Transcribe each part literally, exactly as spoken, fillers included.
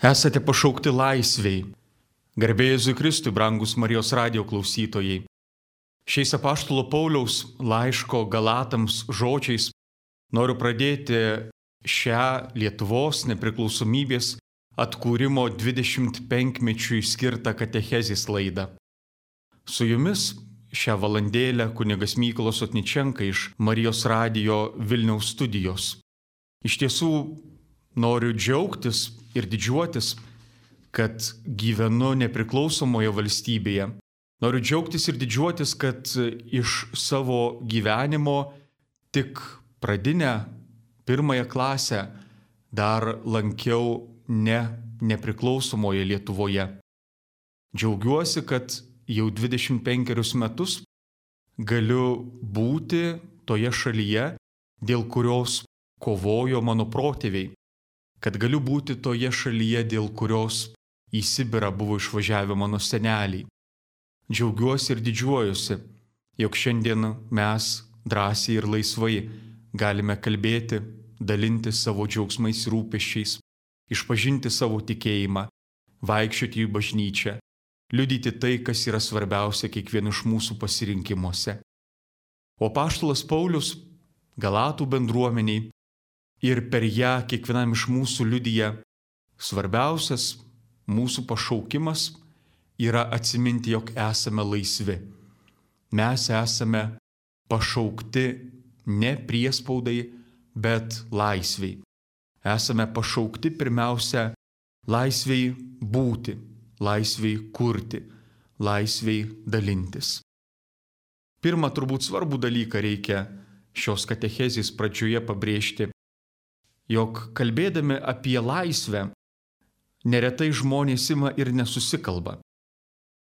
Esate pašaukti laisviai. Garbė Jėzui Kristui, brangus Marijos radijo klausytojai. Šiais apaštalo Pauliaus laiško Galatams žodžiais noriu pradėti šią Lietuvos nepriklausomybės atkūrimo dvidešimt penkmečiui skirtą katechezės laidą. Su jumis šią valandėlę kunigas Mykolas Otničenka iš Marijos radijo Vilniaus studijos. Iš tiesų noriu džiaugtis ir didžiuotis, kad gyvenu nepriklausomoje valstybėje. Noriu džiaugtis ir didžiuotis, kad iš savo gyvenimo tik pradinę pirmąją klasę dar lankiau ne nepriklausomoje Lietuvoje. Džiaugiuosi, kad jau dvidešimt penkerius metus galiu būti toje šalyje, dėl kurios kovojo mano protėviai, kad galiu būti toje šalyje, dėl kurios į Sibirą buvo išvažiavę mano seneliai. Džiaugiuosi ir didžiuojuosi, jog šiandien mes drąsiai ir laisvai galime kalbėti, dalinti savo džiaugsmais ir rūpesčiais, išpažinti savo tikėjimą, vaikščioti į bažnyčią, liudyti tai, kas yra svarbiausia kiekvieno iš mūsų pasirinkimuose. O apaštalas Paulius Galatų bendruomeniai ir per ją kiekvienam iš mūsų liudija, svarbiausias mūsų pašaukimas yra atsiminti, jog esame laisvi. Mes esame pašaukti ne priespaudai, bet laisviai. Esame pašaukti pirmiausia laisviai būti, laisviai kurti, laisviai dalintis. Pirmą turbūt svarbų dalyką reikia šios katechezės pradžioje pabrėžti, jog kalbėdami apie laisvę, neretai žmonės ima ir nesusikalba.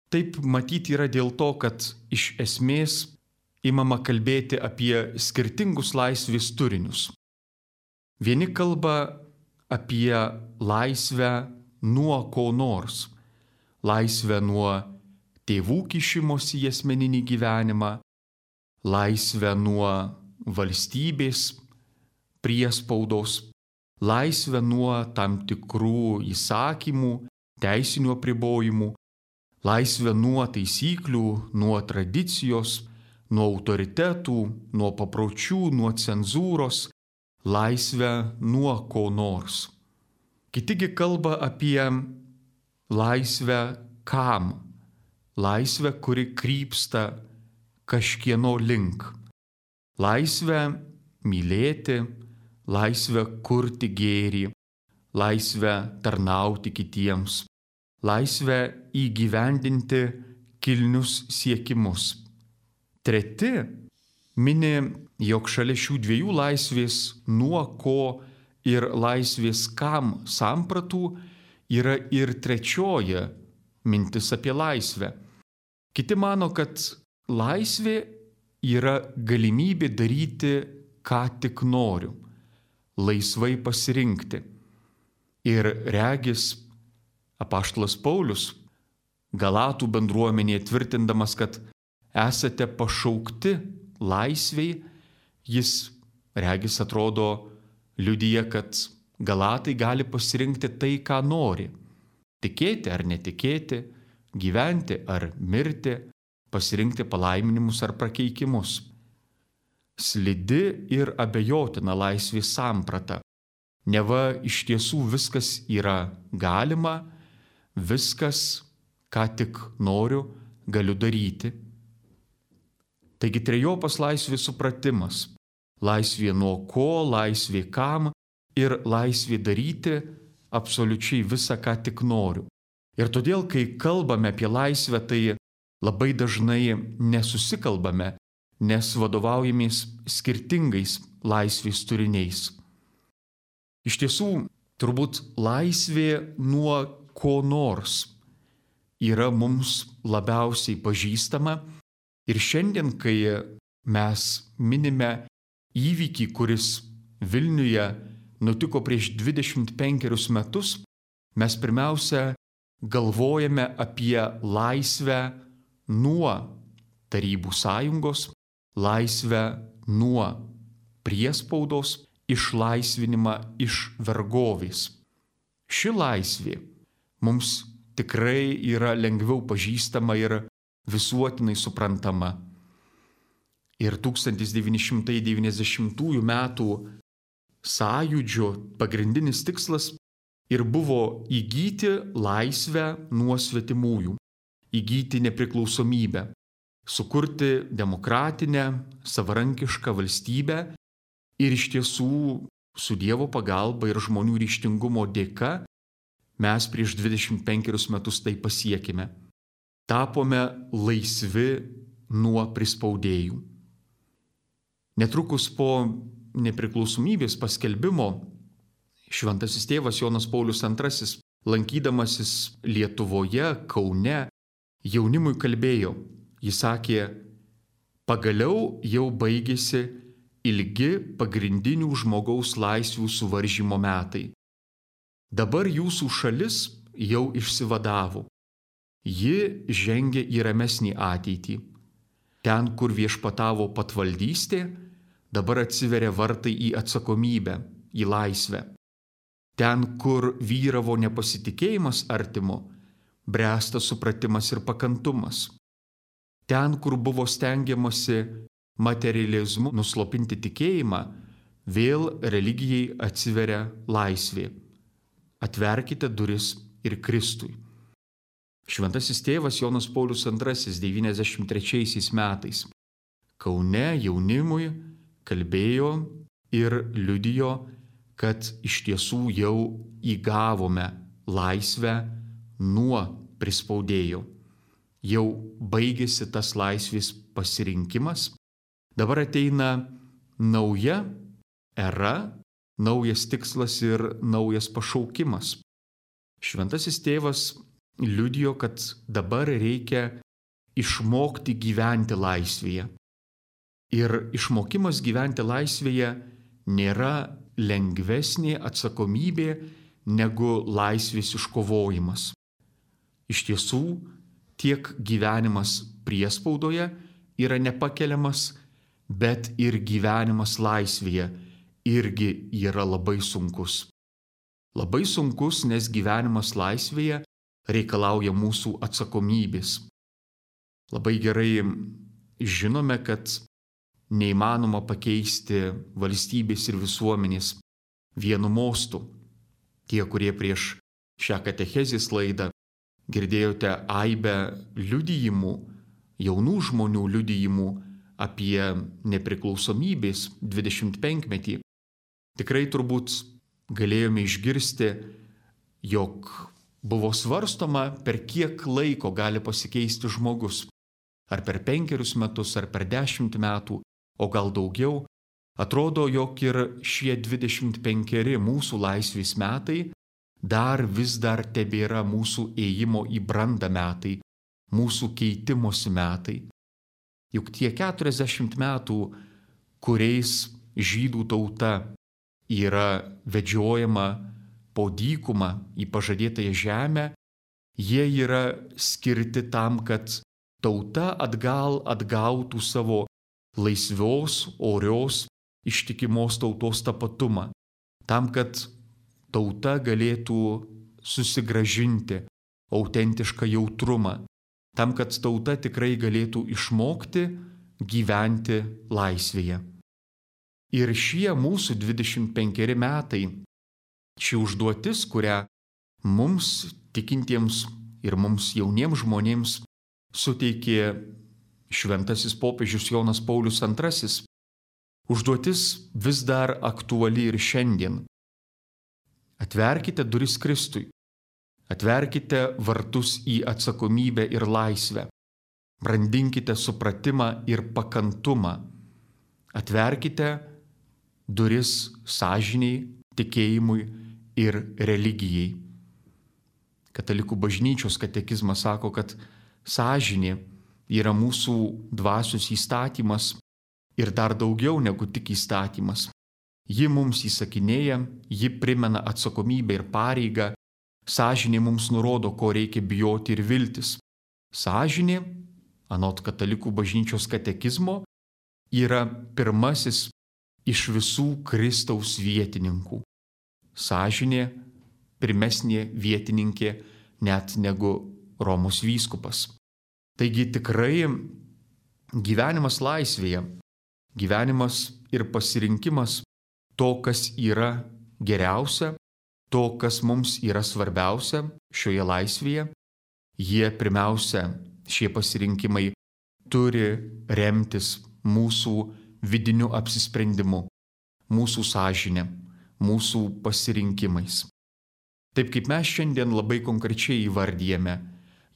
Taip matyti yra dėl to, kad iš esmės imama kalbėti apie skirtingus laisvės turinius. Vieni kalba apie laisvę nuo ko nors, laisvę nuo tėvų kišimosi į asmeninį gyvenimą, laisvę nuo valstybės priespaudos, laisvę nuo tam tikrų įsakymų, teisinių apribojimų, laisvę nuo taisyklių, nuo tradicijos, nuo autoritetų, nuo papročių, nuo cenzūros, laisvę nuo ko nors. Kitigi kalba apie laisvę kam? Laisvę, kuri krypsta kažkieno link. Laisvę mylėti, laisvę kurti gėrį, laisvę tarnauti kitiems, laisvę įgyvendinti kilnius siekimus. Treti mini, jog šalia šių dviejų laisvės nuo ko ir laisvės kam sampratų yra ir trečioji mintis apie laisvę. Kiti mano, kad laisvė yra galimybė daryti, ką tik noriu, laisvai pasirinkti. Ir regis apaštalas Paulius Galatų bendruomenėje tvirtindamas, kad esate pašaukti laisviai, jis regis atrodo liudija, kad Galatai gali pasirinkti tai, ką nori. Tikėti ar netikėti, gyventi ar mirti, pasirinkti palaiminimus ar prakeikimus. Slidi ir abejotina laisvės samprata. Neva iš tiesų viskas yra galima, viskas, ką tik noriu, galiu daryti. Taigi trejopas laisvės supratimas. Laisvė nuo ko, laisvė kam ir laisvė daryti absoliučiai visą, ką tik noriu. Ir todėl, kai kalbame apie laisvę, tai labai dažnai nesusikalbame, nes vadovaujamės skirtingais laisvės turiniais. Iš tiesų, turbūt laisvė nuo ko nors yra mums labiausiai pažįstama ir šiandien, kai mes minime įvykį, kuris Vilniuje nutiko prieš dvidešimt penkerius metus, mes pirmiausia galvojame apie laisvę nuo Tarybų sąjungos, laisvę nuo priespaudos, išlaisvinimą iš vergovės. ši laisvė mums tikrai yra lengviau pažįstama ir visuotinai suprantama. Ir tūkstantis devyni šimtai devyniasdešimtųjų metų sąjūdžio pagrindinis tikslas ir buvo įgyti laisvę nuo svetimųjų, įgyti nepriklausomybę, sukurti demokratinę, savarankišką valstybę ir iš tiesų su Dievo pagalba ir žmonių ryžtingumo dėka mes prieš dvidešimt penkerius metus tai pasiekime. Tapome laisvi nuo prispaudėjų. Netrukus po nepriklausomybės paskelbimo šventasis tėvas Jonas Paulius antrasis, lankydamasis Lietuvoje, Kaune, jaunimui kalbėjo. Jis sakė, pagaliau jau baigėsi ilgi pagrindinių žmogaus laisvių suvaržymo metai. Dabar jūsų šalis jau išsivadavo. Ji žengia į ramesnį ateitį. Ten, kur viešpatavo patvaldystė, dabar atsiveria vartai į atsakomybę, į laisvę. Ten, kur vyravo nepasitikėjimas artimu, bręsta supratimas ir pakantumas. Ten, kur buvo stengiamasi materializmu nuslopinti tikėjimą, vėl religijai atsiveria laisvė. Atverkite duris ir Kristui. Šventasis tėvas Jonas Paulius antrasis devyniasdešimt trečiaisiais metais Kaune jaunimui kalbėjo ir liudijo, kad iš tiesų jau įgavome laisvę nuo prispaudėjo. Jau baigėsi tas laisvės pasirinkimas. Dabar ateina nauja era, naujas tikslas ir naujas pašaukimas. Šventasis tėvas liudijo, kad dabar reikia išmokti gyventi laisvėje. Ir išmokimas gyventi laisvėje nėra lengvesnė atsakomybė negu laisvės iškovojimas. Iš tiesų, tiek gyvenimas priespaudoje yra nepakeliamas, bet ir gyvenimas laisvėje irgi yra labai sunkus. Labai sunkus, nes gyvenimas laisvėje reikalauja mūsų atsakomybės. Labai gerai žinome, kad neįmanoma pakeisti valstybės ir visuomenės vienu mostu. Tie, kurie prieš šią katechezės laidą girdėjote aibę liudijimų, jaunų žmonių liudijimų apie nepriklausomybės dvidešimtpenkmetį, tikrai turbūt galėjome išgirsti, jog buvo svarstoma, per kiek laiko gali pasikeisti žmogus. Ar per penkerius metus, ar per dešimt metų, o gal daugiau. Atrodo, jog ir šie dvidešimt penkeri mūsų laisvės metai dar vis dar tebėra mūsų ėjimo į brandą metai, mūsų keitimosi metai. Juk tie keturiasdešimt metų, kuriais žydų tauta yra vedžiojama po dykumą į pažadėtąją žemę, jie yra skirti tam, kad tauta atgal atgautų savo laisvios, orios, ištikimos tautos tapatumą, tam, kad tauta galėtų susigrąžinti autentišką jautrumą, tam, kad tauta tikrai galėtų išmokti gyventi laisvėje. Ir šie mūsų dvidešimt penkeri metai, ši užduotis, kurią mums tikintiems ir mums jauniems žmonėms suteikė šventasis popiežius Jonas Paulius antrasis, užduotis vis dar aktuali ir šiandien. Atverkite duris Kristui, atverkite vartus į atsakomybę ir laisvę, brandinkite supratimą ir pakantumą, atverkite duris sąžinei, tikėjimui ir religijai. Katalikų bažnyčios katekizmas sako, kad sąžinė yra mūsų dvasios įstatymas ir dar daugiau negu tik įstatymas. Ji mums įsakinėja, ji primena atsakomybę ir pareigą, sąžinė mums nurodo, ko reikia bijoti ir viltis. Sąžinė, anot katalikų bažnyčios katekizmo, yra pirmasis iš visų Kristaus vietininkų. Sąžinė pirmesnė vietininkė net negu Romos vyskupas. Taigi tikrai gyvenimas laisvėje, gyvenimas ir pasirinkimas to, kas yra geriausia, to, kas mums yra svarbiausia šioje laisvėje, jie pirmiausia, šie pasirinkimai turi remtis mūsų vidiniu apsisprendimu, mūsų sąžine, mūsų pasirinkimais. Taip kaip mes šiandien labai konkrečiai įvardyjame,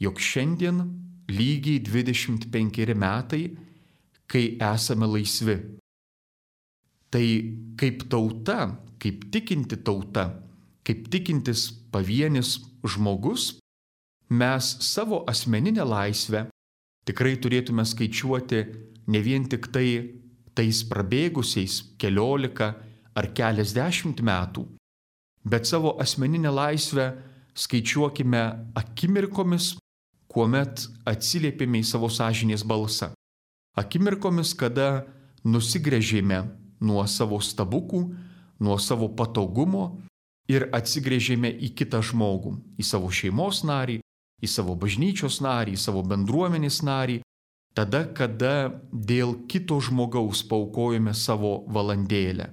jog šiandien lygiai dvidešimt penkeri metai, kai esame laisvi. Tai kaip tauta, kaip tikinti tauta, kaip tikintis pavienis žmogus, mes savo asmeninę laisvę tikrai turėtume skaičiuoti ne vien tik tai tais prabėgusiais keliolika ar keliasdešimt metų, bet savo asmeninę laisvę skaičiuokime akimirkomis, kuomet atsiliepėme į savo sąžinės balsą. Akimirkomis, kada nusigręžėme nuo savo stabukų, nuo savo patogumo ir atsigręžėme į kitą žmogų, į savo šeimos narį, į savo bažnyčios narį, į savo bendruomenės narį, tada, kada dėl kito žmogaus paaukojome savo valandėlę.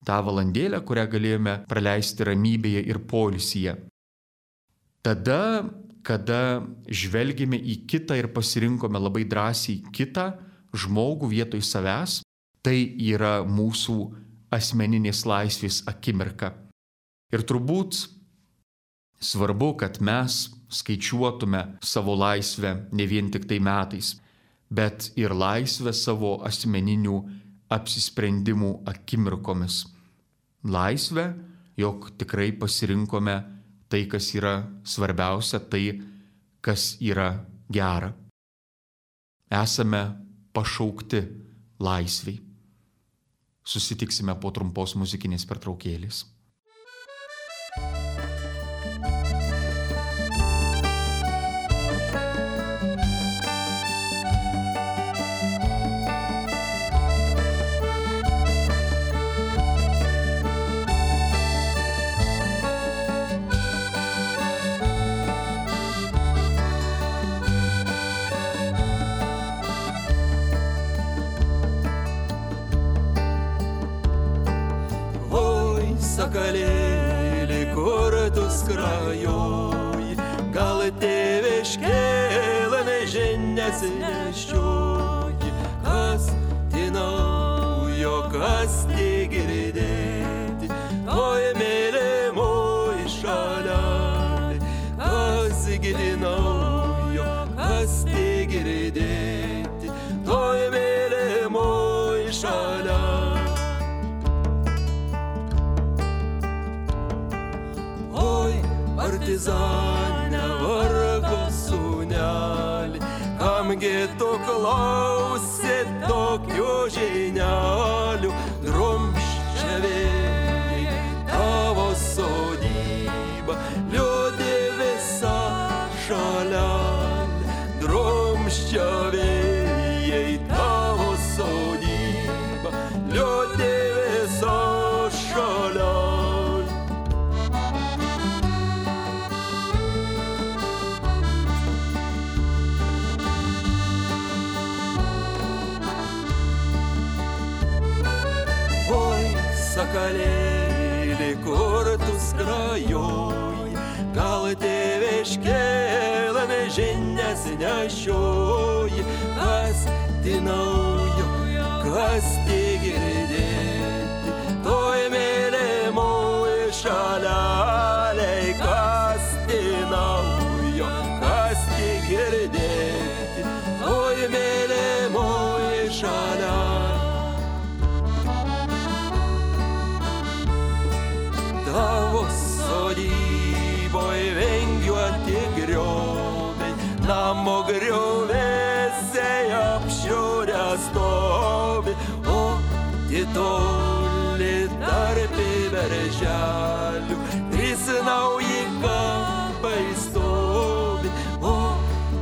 Ta valandėlę, kurią galėjome praleisti ramybėje ir poilsyje. Tada, kada žvelgėme į kitą ir pasirinkome labai drąsiai kitą žmogų vietoj savęs, tai yra mūsų asmeninės laisvės akimirka. Ir turbūt svarbu, kad mes skaičiuotume savo laisvę ne vien tik tai metais, bet ir laisvę savo asmeninių apsisprendimų akimirkomis. Laisvę, jog tikrai pasirinkome tai, kas yra svarbiausia, tai, kas yra gera. Esame pašaukti laisviai. Susitiksime po trumpos muzikinės pertraukėlės. Sakalėlį, kur tu skrajoj, gal tėviškėlę nežinias nešioji, kas tai naujo, kas tai girdėti, toj mylimoj šalelį, kas gidi naujo, kas tai girdėti, toj mylimoj šalelį. Partizanė vargo sūnelį, kamgi tu klausi tokių žinialių, drumsčia vėjai tavo sodybą, liūdi visą šalelį, drumsčia vėjai tavo sodybą, liūdi visą šalelį. Sakalėlį, kur tu skrajoj, gal tėviškėlę nežinias nešioji, kas tai naujo, kas tai girdėti, toj mylimoj šalelėj, kas tai naujo, kas tai girdėti, toj mylimoj šalelėj. Tavo sodyboj vingiuoti grioviai, namo griovėse apšiurę stovi, o titoli tarp berželių, trys nauji kampai stovi, o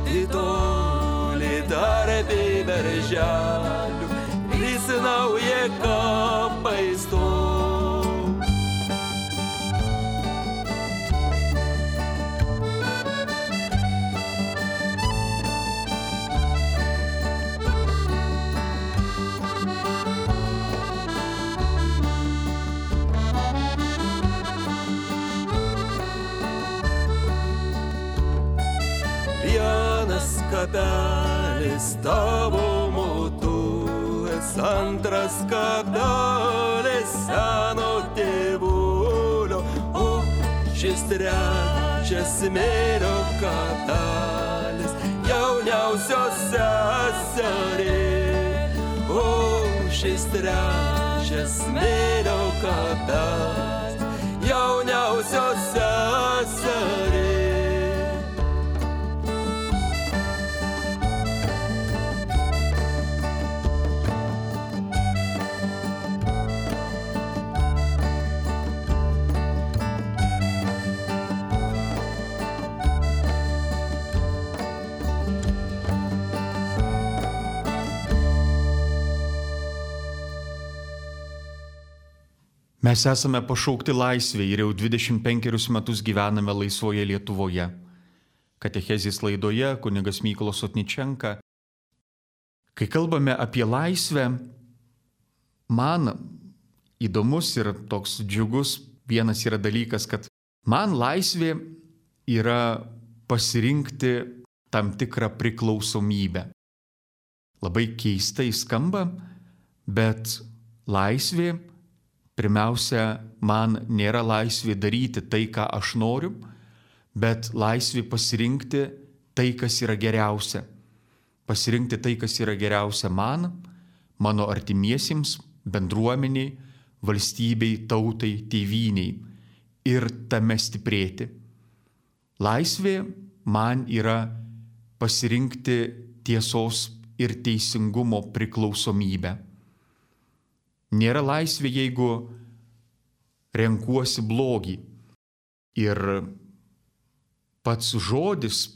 titoli tarp berželių, trys nauji kampai stovi. kabelis tavo motulės, antras kabelis seno tėvulio, o šis trečias smėlio kabelis jauniausios seserė, o šis trečias smėlio kabelis jauniausios seserė. Mes esame pašaukti laisvė ir jau dvidešimt penkerius metus gyvename laisvoje Lietuvoje. Katechezės laidoje kunigas Mykolas Sotničenka. Kai kalbame apie laisvę, man įdomus ir toks džiugus vienas yra dalykas, kad man laisvė yra pasirinkti tam tikrą priklausomybę. Labai keistai skamba, bet laisvė pirmiausia, man nėra laisvė daryti tai, ką aš noriu, bet laisvė pasirinkti tai, kas yra geriausia. Pasirinkti tai, kas yra geriausia man, mano artimiesiems, bendruomeniai, valstybei, tautai, tėvyniai ir tame stiprėti. Laisvė man yra pasirinkti tiesos ir teisingumo priklausomybę. Nėra laisvė, jeigu renkuosi blogį. Ir pats žodis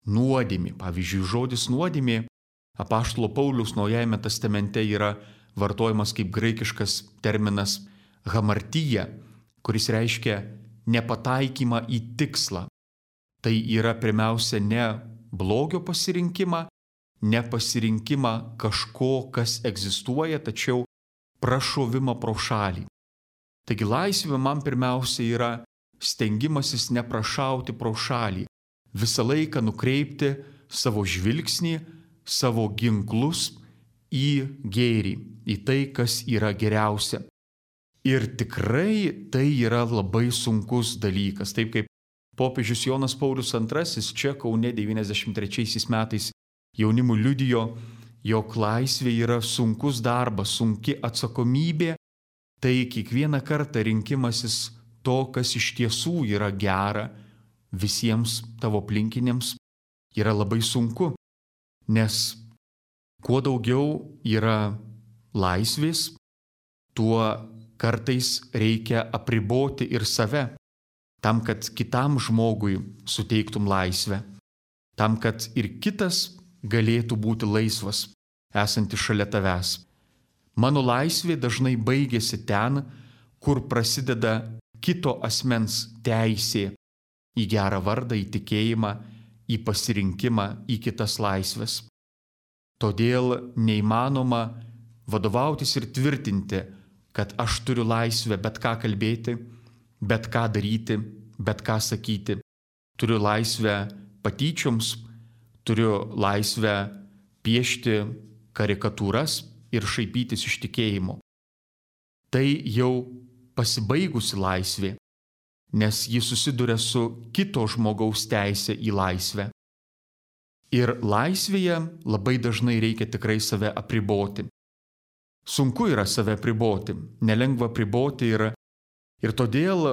nuodėmė, pavyzdžiui, žodis nuodėmė apaštalo Pauliaus Naujajame testamente yra vartojamas kaip graikiškas terminas hamartija, kuris reiškia nepataikymą į tikslą. Tai yra pirmiausia ne blogio pasirinkimą, ne pasirinkimą kažko, kas egzistuoja, tačiau prašovimą pro šalį. Taigi laisvė man pirmiausia yra stengimasis neprašauti pro šalį, visą laiką nukreipti savo žvilgsnį, savo ginklus į gėrį, į tai, kas yra geriausia. Ir tikrai tai yra labai sunkus dalykas. Taip kaip popiežius Jonas Paulius antrasis čia Kaune devyniasdešimt trečiaisiais metais jaunimui liudijo, jog laisvė yra sunkus darbas, sunki atsakomybė, tai kiekvieną kartą rinkimasis to, kas iš tiesų yra gera visiems tavo aplinkiniams, yra labai sunku, nes kuo daugiau yra laisvės, tuo kartais reikia apriboti ir save, tam, kad kitam žmogui suteiktum laisvę, tam, kad ir kitas galėtų būti laisvas, esantis šalia tavęs. Mano laisvė dažnai baigėsi ten, kur prasideda kito asmens teisė į gerą vardą, į tikėjimą, į pasirinkimą, į kitas laisvės. Todėl neįmanoma vadovautis ir tvirtinti, kad aš turiu laisvę bet ką kalbėti, bet ką daryti, bet ką sakyti. Turiu laisvę patyčioms, turiu laisvę piešti karikatūras ir šaipytis iš tikėjimo. Tai jau pasibaigusi laisvė, nes ji susiduria su kito žmogaus teisė į laisvę. Ir laisvėje labai dažnai reikia tikrai save apriboti. Sunku yra save apriboti, nelengva apriboti ir, ir todėl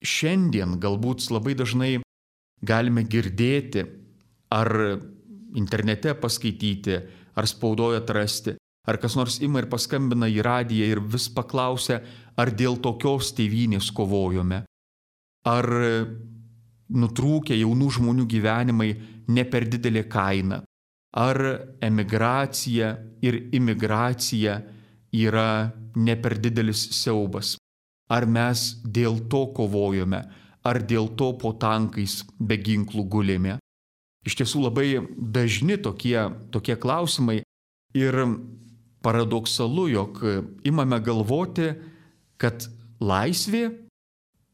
šiandien galbūt labai dažnai galime girdėti, ar internete paskaityti, ar spaudoje atrasti, ar kas nors ima ir paskambina į radiją ir vis paklausia, ar dėl tokios tėvynės kovojome, ar nutrūkę jaunų žmonių gyvenimai ne per didelė kaina, ar emigracija ir imigracija yra ne per didelis siaubas, ar mes dėl to kovojome, ar dėl to po tankais be ginklų gulėme. Iš tiesų labai dažni tokie, tokie klausimai ir paradoksalu, jog imame galvoti, kad laisvė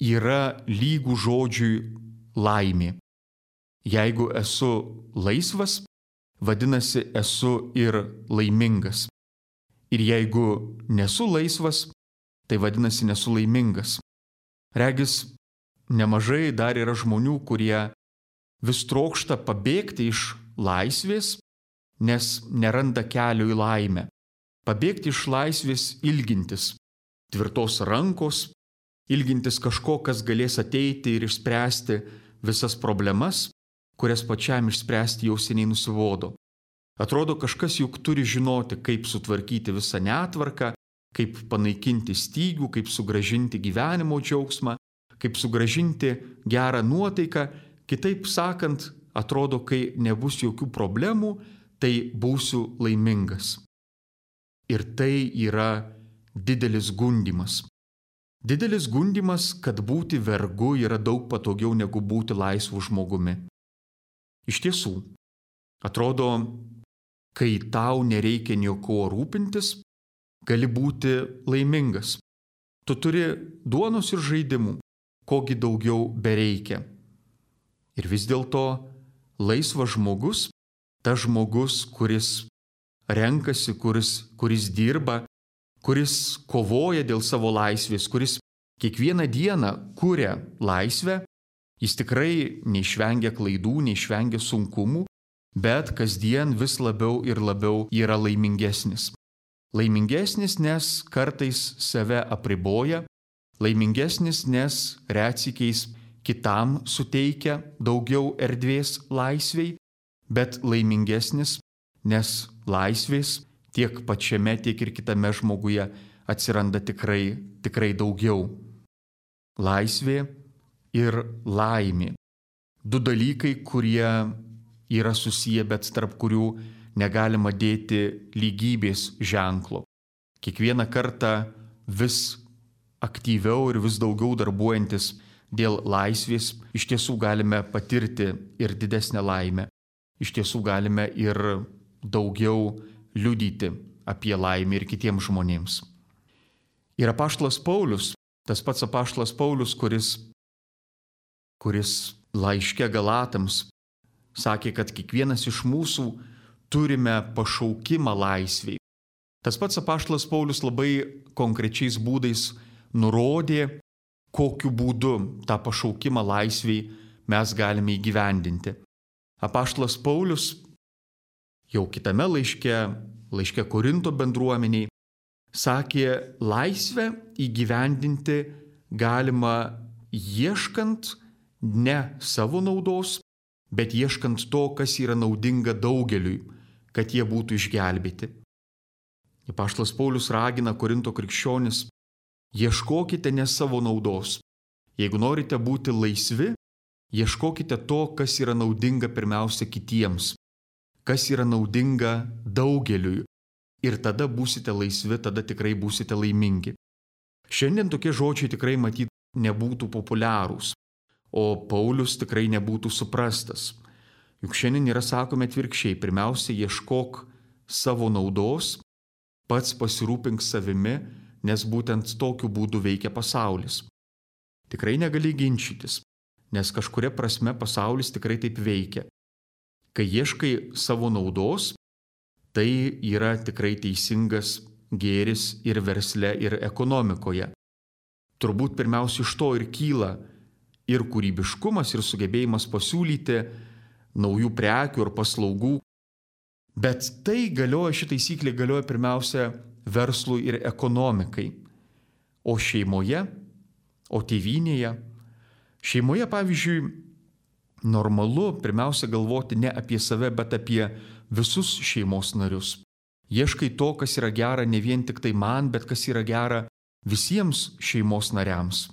yra lygų žodžiui laimė. Jeigu esu laisvas, vadinasi esu ir laimingas. Ir jeigu nesu laisvas, tai vadinasi nesu laimingas. Regis, nemažai dar yra žmonių, kurie vis trokšta pabėgti iš laisvės, nes neranda kelio į laimę. Pabėgti iš laisvės ilgintis tvirtos rankos, ilgintis kažko, kas galės ateiti ir išspręsti visas problemas, kurias pačiam išspręsti jau seniai nusibodo. Atrodo, kažkas juk turi žinoti, kaip sutvarkyti visą netvarką, kaip panaikinti stygių, kaip sugrąžinti gyvenimo džiaugsmą, kaip sugrąžinti gerą nuotaiką. Kitaip sakant, atrodo, kai nebus jokių problemų, tai būsiu laimingas. Ir tai yra didelis gundymas. Didelis gundymas, kad būti vergu yra daug patogiau negu būti laisvu žmogumi. Iš tiesų, atrodo, kai tau nereikia nieko rūpintis, gali būti laimingas. Tu turi duonos ir žaidimų, kogi daugiau bereikia. Ir vis dėlto laisvas žmogus, tas žmogus, kuris renkasi, kuris, kuris dirba, kuris kovoja dėl savo laisvės, kuris kiekvieną dieną kuria laisvę, jis tikrai neišvengia klaidų, neišvengia sunkumų, bet kasdien vis labiau ir labiau yra laimingesnis. Laimingesnis, nes kartais save apriboja, laimingesnis, nes retsykiais kitam suteikia daugiau erdvės laisvei, bet laimingesnis, nes laisvės tiek pačiame, tiek ir kitame žmoguje atsiranda tikrai, tikrai daugiau. Laisvė ir laimė. Du dalykai, kurie yra susiję, bet tarp kurių negalima dėti lygybės ženklo. Kiekvieną kartą vis aktyviau ir vis daugiau darbuojantis dėl laisvės, iš tiesų galime patirti ir didesnę laimę. Iš tiesų galime ir daugiau liudyti apie laimę ir kitiems žmonėms. Ir apaštalas Paulius, tas pats apaštalas Paulius, kuris, kuris laiške Galatams sakė, kad kiekvienas iš mūsų turime pašaukimą laisvei. Tas pats apaštalas Paulius labai konkrečiais būdais nurodė, kokiu būdu tą pašaukimą laisvei mes galime įgyvendinti. Apaštalas Paulius jau kitame laiške, laiške Korinto bendruomeniai, sakė, laisvę įgyvendinti galima ieškant ne savo naudos, bet ieškant to, kas yra naudinga daugeliui, kad jie būtų išgelbėti. Apaštalas Paulius ragina Korinto krikščionis, ieškokite ne savo naudos. Jeigu norite būti laisvi, ieškokite to, kas yra naudinga pirmiausia kitiems, kas yra naudinga daugeliui. Ir tada būsite laisvi, tada tikrai būsite laimingi. Šiandien tokie žodžiai tikrai matyt nebūtų populiarūs, o Paulius tikrai nebūtų suprastas. Juk šiandien yra sakome atvirkščiai, pirmiausia ieškok savo naudos, pats pasirūpink savimi, nes būtent tokiu būdu veikia pasaulis. Tikrai negali ginčytis, nes kažkuria prasme pasaulis tikrai taip veikia. Kai ieškai savo naudos, tai yra tikrai teisingas gėris ir versle, ir ekonomikoje. Turbūt pirmiausia iš to ir kyla ir kūrybiškumas, ir sugebėjimas pasiūlyti naujų prekių ir paslaugų. Bet tai galioja, ši taisyklė galioja pirmiausia verslui ir ekonomikai. O šeimoje, o tėvynėje, šeimoje, pavyzdžiui, normalu pirmiausia galvoti ne apie save, bet apie visus šeimos narius. Ieškai to, kas yra gera ne vien tik tai man, bet kas yra gera visiems šeimos nariams.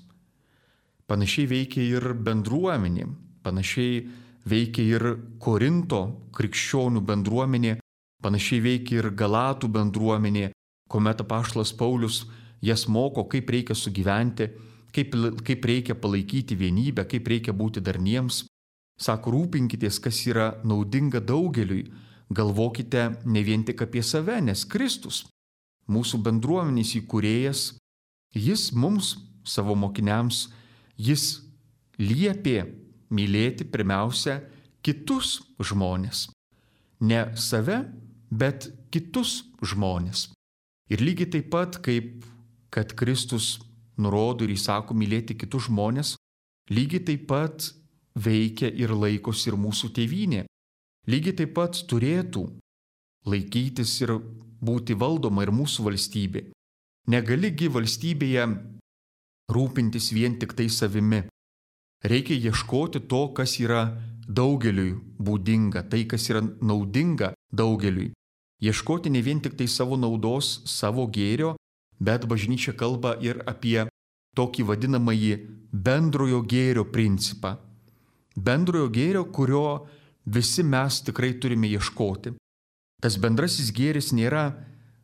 Panašiai veikia ir bendruomenė, panašiai veikia ir Korinto krikščionių bendruomenė, panašiai veikia ir Galatų bendruomenė, kuomet apaštalas Paulius jas moko, kaip reikia sugyventi, kaip, kaip reikia palaikyti vienybę, kaip reikia būti darniems. Sako, rūpinkitės, kas yra naudinga daugeliui, galvokite ne vien tik apie save, nes Kristus, mūsų bendruomenės įkūrėjas, jis mums, savo mokiniams, jis liepė mylėti pirmiausia kitus žmonės. Ne save, bet kitus žmonės. Ir lygiai taip pat, kaip kad Kristus nurodo ir įsako mylėti kitus žmonės, lygiai taip pat veikia ir laikosi ir mūsų tėvynė. Lygiai taip pat turėtų laikytis ir būti valdoma ir mūsų valstybė. Negaligi valstybėje rūpintis vien tik tai savimi. Reikia ieškoti to, kas yra daugeliui būdinga, tai, kas yra naudinga daugeliui. Ieškoti ne vien tik tai savo naudos, savo gėrio, bet bažnyčia kalba ir apie tokį vadinamąjį bendrojo gėrio principą. Bendrojo gėrio, kurio visi mes tikrai turime ieškoti. Tas bendrasis gėris nėra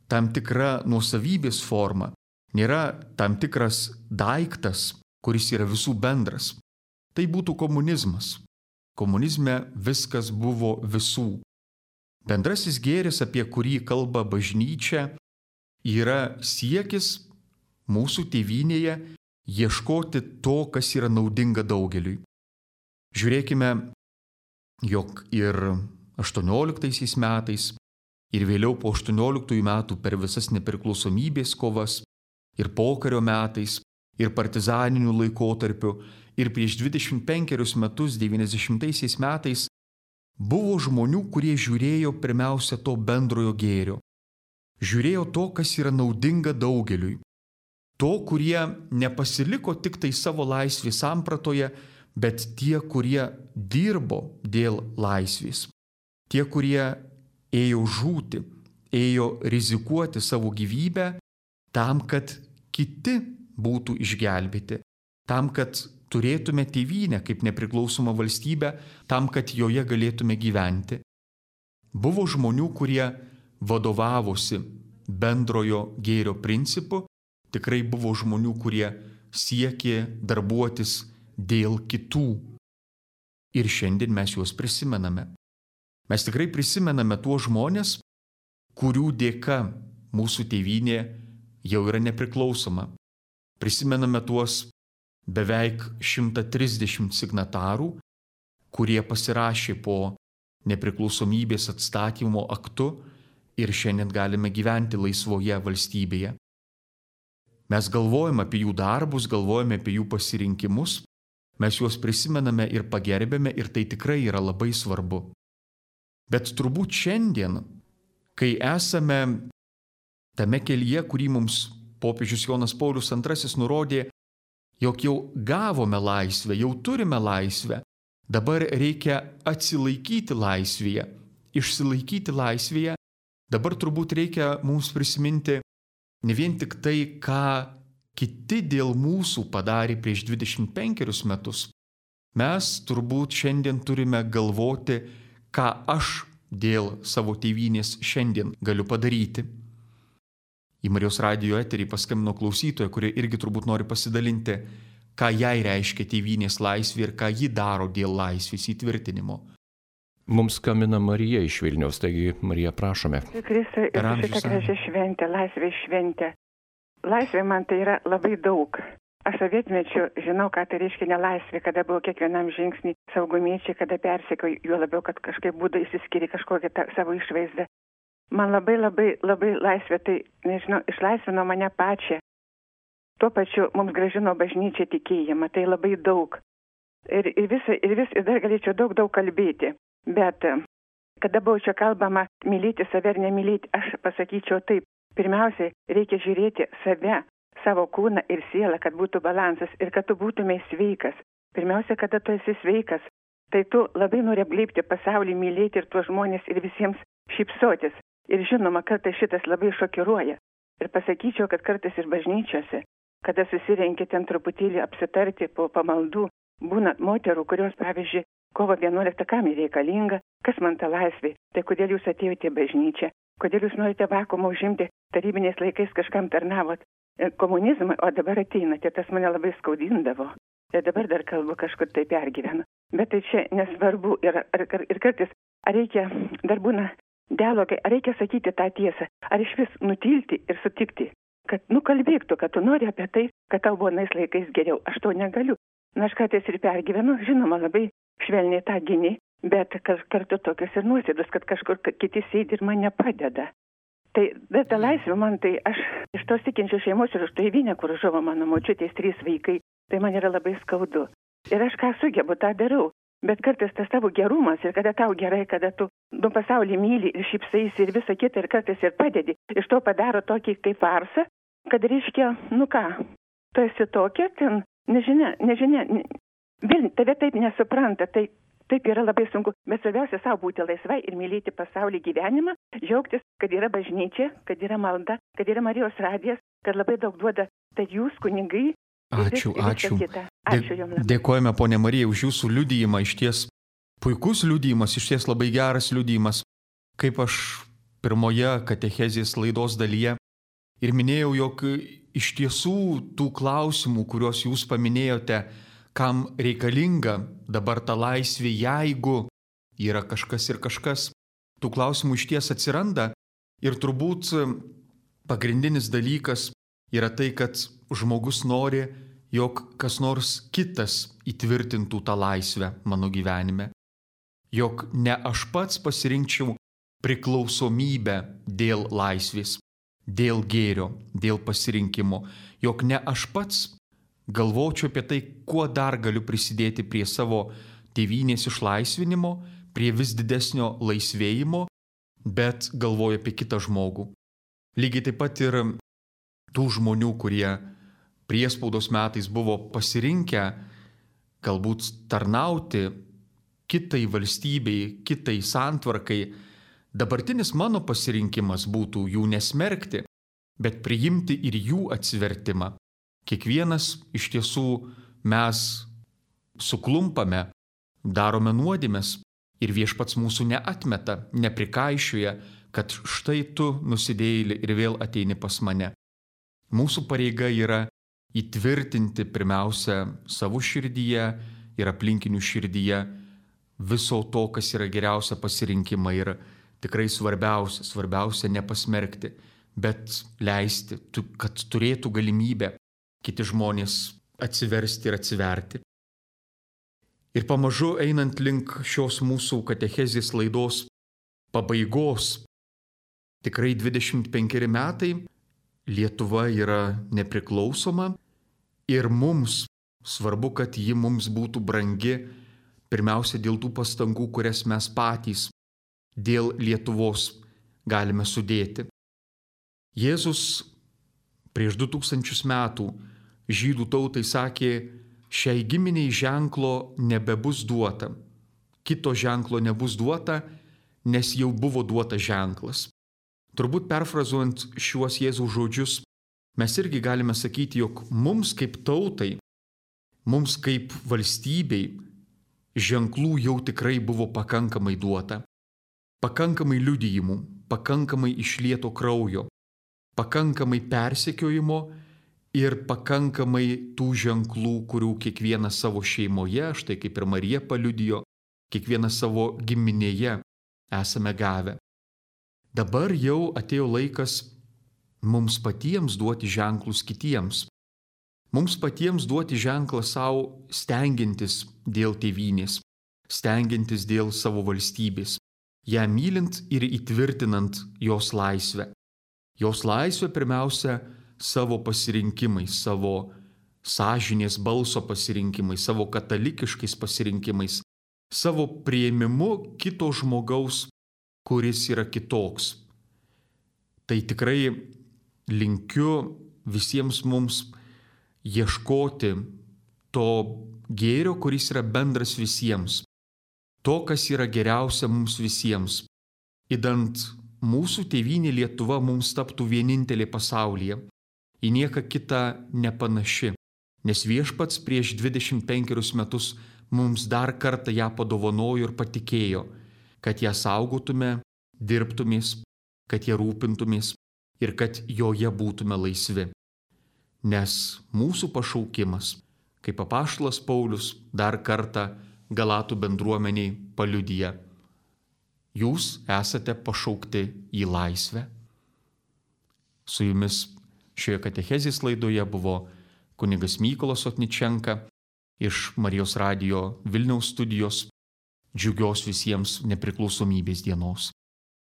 tam tikra nuosavybės forma, nėra tam tikras daiktas, kuris yra visų bendras. Tai būtų komunizmas. Komunizme viskas buvo visų. Bendrasis gėris, apie kurį kalba bažnyčia, yra siekis mūsų tėvynėje ieškoti to, kas yra naudinga daugeliui. Žiūrėkime, jog ir aštuonioliktaisiais metais, ir vėliau po aštuonioliktųjų metų per visas nepriklausomybės kovas, ir pokario metais, ir partizaninių laikotarpių, ir prieš dvidešimt penkerius metus, devyniasdešimtaisiais metais, buvo žmonių, kurie žiūrėjo pirmiausia to bendrojo gėrio. Žiūrėjo to, kas yra naudinga daugeliui. To, kurie nepasiliko tik tai savo laisvės sampratoje, bet tie, kurie dirbo dėl laisvės. Tie, kurie ėjo žūti, ėjo rizikuoti savo gyvybę tam, kad kiti būtų išgelbėti, tam, kad turėtume tėvynę kaip nepriklausomą valstybę, tam, kad joje galėtume gyventi. Buvo žmonių, kurie vadovavosi bendrojo gėrio principu, tikrai buvo žmonių, kurie siekė darbuotis dėl kitų. Ir šiandien mes juos prisimename. Mes tikrai prisimename tuos žmonės, kurių dėka mūsų tėvynė jau yra nepriklausoma. Prisimename tuos beveik šimtą trisdešimt signatarų, kurie pasirašė po nepriklausomybės atstatymo aktu ir šiandien galime gyventi laisvoje valstybėje. Mes galvojame apie jų darbus, galvojame apie jų pasirinkimus, mes juos prisimename ir pagerbėme ir tai tikrai yra labai svarbu. Bet turbūt šiandien, kai esame tame kelyje, kurį mums popiežius Jonas Paulius antrasis nurodė, jog jau gavome laisvę, jau turime laisvę, dabar reikia atsilaikyti laisvėje, išsilaikyti laisvėje, dabar turbūt reikia mums prisiminti ne vien tik tai, ką kiti dėl mūsų padarė prieš dvidešimt penkerius metus. Mes turbūt šiandien turime galvoti, ką aš dėl savo tėvynės šiandien galiu padaryti. Į Marijos radijo eterį paskambino klausytoja, kurie irgi turbūt nori pasidalinti, ką jai reiškia tėvynės laisvė ir ką ji daro dėl laisvės įtvirtinimo. Mums skambina Marija iš Vilniaus, taigi Marija, prašome. Kristui ir šitą gražią šventę, laisvės šventę. Laisvė man tai yra labai daug. Aš sovietmečiu žinau, ką tai reiškia nelaisvė, kada buvo kiekvienam žingsnį saugumiečiai, kada persekiojo, juo labiau, kad kažkaip būdai išsiskiria kažkokią tą, savo išvaizdą. Man labai labai labai laisvė, tai, nežinau, išlaisvino mane pačią. Tuo pačiu mums gražino bažnyčia tikėjimą, tai labai daug. Ir, ir, visa, ir, vis, ir dar galėčiau daug, daug kalbėti. Bet kada buvo čia kalbama mylėti save ar nemylėti, aš pasakyčiau taip. Pirmiausiai reikia žiūrėti save, savo kūną ir sielą, kad būtų balansas ir kad tu būtumei sveikas. Pirmiausia, kada tu esi sveikas, tai tu labai nori apglėbti pasaulį, mylėti ir tuos žmonės ir visiems šypsotis. Ir žinoma, kartais šitas labai šokiruoja. Ir pasakyčiau, kad kartais ir bažnyčiose, kada susirenkia ten truputėlį apsitarti po pamaldų, būna moterų, kurios, pavyzdžiui, kovo vienuoliktą kam reikalinga, kas man ta laisvė, tai kodėl jūs atėjote į bažnyčią, kodėl jūs norite vakuumą užimti, tarybiniais laikais kažkam tarnavot komunizmą, o dabar ateinate, tas mane labai skaudindavo. Tai dabar dar kalbu kažkur tai pergyvenu. Bet tai čia nesvarbu ir, ir, ir kartais, ar reikia, dar būna dialogai, ar reikia sakyti tą tiesą, ar iš vis nutilti ir sutikti, kad nukalbėktų, kad tu nori apie tai, kad tau buvo nais laikais geriau. Aš to negaliu. Na, aš kartais ir pergyvenu, žinoma, labai švelniai tą gini, bet kartu tokios ir nuosėdos, kad kažkur kiti sėdi ir man nepadeda. Tai, bet ta laisvė man, tai aš iš tos tikinčių šeimos ir iš to įvynę, kur žuvo mano močiutės trys vaikai, tai man yra labai skaudu. Ir aš ką sugebu, tą darau. Bet kartais tas tavo gerumas ir kada tau gerai, kada tu nu, pasaulį myli ir šypsaisi ir visą kitą ir kartais ir padedi, iš to padaro tokį kaip farsą, kad reiškia, nu ką, tu esi tokia, ten, nežinia, nežinia, vėl tave taip nesupranta, tai taip yra labai sunku, bet svarbiausia savo būti laisvai ir mylėti pasaulį gyvenimą, džiaugtis, kad yra bažnyčia, kad yra malda, kad yra Marijos radijas, kad labai daug duoda, tai jūs, kunigai. Ačiū, ačiū. Ačiū jums. Dėkojame, ponė Marija, už jūsų liudijimą, iš ties puikus liudijimas, iš ties labai geras liudijimas, kaip aš pirmoje katechezės laidos dalyje ir minėjau, jog iš tiesų tų klausimų, kuriuos jūs paminėjote, kam reikalinga dabar ta laisvė, jeigu yra kažkas ir kažkas, tų klausimų iš ties atsiranda ir turbūt pagrindinis dalykas yra tai, kad žmogus nori, jog kas nors kitas įtvirtintų tą laisvę mano gyvenime. Jog ne aš pats pasirinkčiau priklausomybę dėl laisvės, dėl gėrio, dėl pasirinkimo. Jog ne aš pats galvočiau apie tai, kuo dar galiu prisidėti prie savo tėvynės išlaisvinimo, prie vis didesnio laisvėjimo, bet galvoju apie kitą žmogų. Lygiai taip pat ir tų žmonių, kurie priespaudos metais buvo pasirinkę galbūt tarnauti kitai valstybei, kitai santvarkai, dabartinis mano pasirinkimas būtų jų nesmerkti, bet priimti ir jų atsivertimą. Kiekvienas iš tiesų mes suklumpame, darome nuodėmes ir Viešpats mūsų neatmeta, neprikaišioja, kad štai tu nusidėjėli ir vėl ateini pas mane. Mūsų pareiga yra įtvirtinti pirmiausia savo širdyje ir aplinkinių širdyje viso to, kas yra geriausia pasirinkimą ir tikrai svarbiausia, svarbiausia nepasmerkti, bet leisti, kad turėtų galimybę kiti žmonės atsiversti ir atsiverti. Ir pamažu einant link šios mūsų katechezės laidos pabaigos, tikrai dvidešimt penkeri metai, Lietuva yra nepriklausoma ir mums svarbu, kad ji mums būtų brangi, pirmiausia dėl tų pastangų, kurias mes patys dėl Lietuvos galime sudėti. Jėzus prieš du tūkstančius metų žydų tautai sakė, šiai giminiai ženklo nebebus duota, kito ženklo nebus duota, nes jau buvo duota ženklas. Turbūt perfrazuojant šiuos Jėzaus žodžius, mes irgi galime sakyti, jog mums kaip tautai, mums kaip valstybei ženklų jau tikrai buvo pakankamai duota. Pakankamai liudijimų, pakankamai išlieto kraujo, pakankamai persekiojimo ir pakankamai tų ženklų, kurių kiekvienas savo šeimoje, štai kaip ir Marija paliudijo, kiekvienas savo giminėje esame gavę. Dabar jau atėjo laikas mums patiems duoti ženklus kitiems. Mums patiems duoti ženklą savo stengiantis dėl tėvynės, stengiantis dėl savo valstybės, ją mylint ir įtvirtinant jos laisvę. Jos laisvę pirmiausia savo pasirinkimais, savo sąžinės balso pasirinkimais, savo katalikiškais pasirinkimais, savo priėmimu kito žmogaus, kuris yra kitoks. Tai tikrai linkiu visiems mums ieškoti to gėrio, kuris yra bendras visiems, to, kas yra geriausia mums visiems, idant mūsų tėvynė Lietuva mums taptų vienintelė pasaulyje, į nieką kitą nepanaši, nes Viešpats prieš dvidešimt penkerius metus mums dar kartą ją padovanojo ir patikėjo, kad ją saugotume, dirbtumės, kad ją rūpintumės ir kad joje būtume laisvi. Nes mūsų pašaukimas, kaip apaštalas Paulius dar kartą Galatų bendruomeniai paliudija, jūs esate pašaukti į laisvę. Su jumis šioje katechezės laidoje buvo kunigas Mykolas Otničenka iš Marijos radijo Vilniaus studijos. džiugios visiems nepriklausomybės dienos.